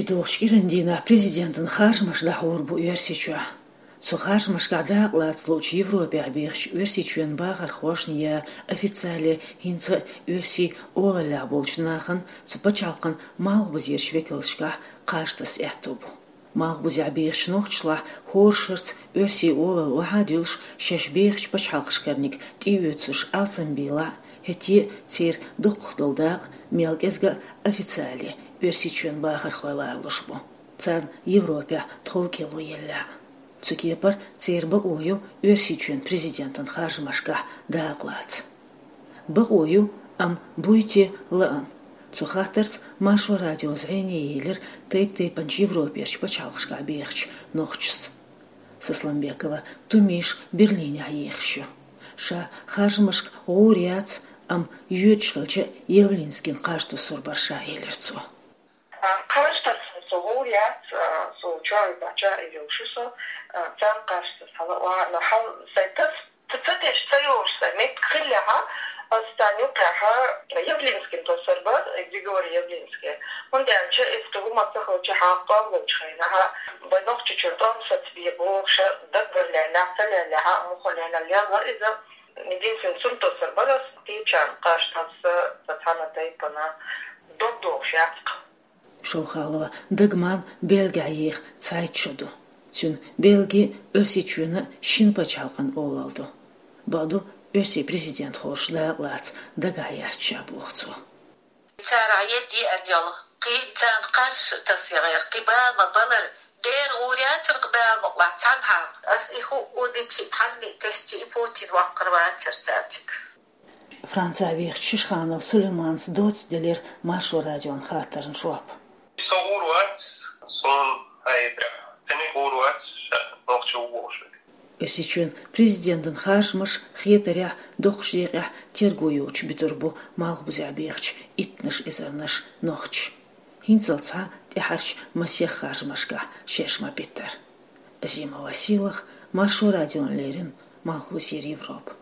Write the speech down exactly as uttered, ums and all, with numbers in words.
И долчу кӀиран дийнахь президентан харжамаш дӀахьур бу Оьрсийчохь. Цу харжамашкахь дакъалаца луучу Европехь бехачу Оьрсийчоьнан бахархошна я официале хӀинца а Оьрсийн олаллехь болчу нахана цу пачхьалкхан малхбузерчу векалшкахь кхаж таса аьтто бу. Малхбузехь бехачу нохчашлахь хӀора шарца оьрсийн олалла охьа а дуьллуш, шаьш бехачу пачхьалкхашкарниг тӀеоьцуш алсамбийлахь а, хӀетте а церан дукхах долу дакъа мел кӀезга а официале Оьрсийчоьнан бахархой ларалуш бу, царна Европехь тховкӀело еллехь а. Цу кепара церан бакъо ю Оьрсийчоьнан президентан харжамашкахь дакъалаца. Бакъо ю, амма буй те лаьа? Цу хаттарца Маршо радио зӀене елира тайп-тайпанчу Европерчу пачхьалкхашкахь бехачу нохчашца. Сасламбекова Тумиша Берлинехь ехаш ю. Ша харжамашка гӀур яц, амма йоьдуш хилча а Явлинскина кхаж туссур бара ша, элира цо. Кхаж тасса со гӀур яц, со чоьхьа бахча а йолуш ю со, царна кхаж тасса хьала а ваха, но хьал сайн тас, ца, ца тесча ца йолуш сайн меттиг хиллехь, аса царна юккъехь Явлинскина туссур бара, Григорий Явлинский. ХӀунда аьлча иза кхин хӀума ца хилча хьан тӀом лучу хенахь, вай Нохчийчуьра тӀом сацабе бохуш, дагбар леллехь, ца леллехь, муха лелла лелла иза. Единственный цунна туссур бара аса, кхечарна кхаж тасса, сан цхьана тайпана дог дохуш яц-кх. Шовхалова Дагман Бельгехь еха цхьайтта шо ду. Цуьнан Бельги а, Оьрсийчоьнан а шина пачхьалкхан олалла ду. Бакъду, оьрсийн президент хорша дакъалаца дагахь яц ша, боху цо. Царах едда еана йолу, кхин царна кхаж тасса яхара, кхин бала ма балара, дера гӀур яцара-кх бала ма къахьа цхьанхьа. Аса и хӀуъу дичи, тхьанна а тесчи, и Путин ваккхар вацара цаьрцига. Францехь вехачу Шишханов Сулейманца доцца делира Маршо радион хаттарна жоп. Со гӀур вац, суна хьайбира. Цуьнан гӀур вац, ша нохчи ву бохуш верг. Оьрсийчоьнан президентан харжамаш, хетарехь, доккхачу декъехь терго йоцуш битур бу малхбузехь бехачу иттанаш эзарнаш нохчаша. ХӀинццалц цхьа тӀаьхьарчу масех харжамашкахь шаьш ма-биттара. Азима Василах, Маршо радиона леррина, Малхбузера Европа.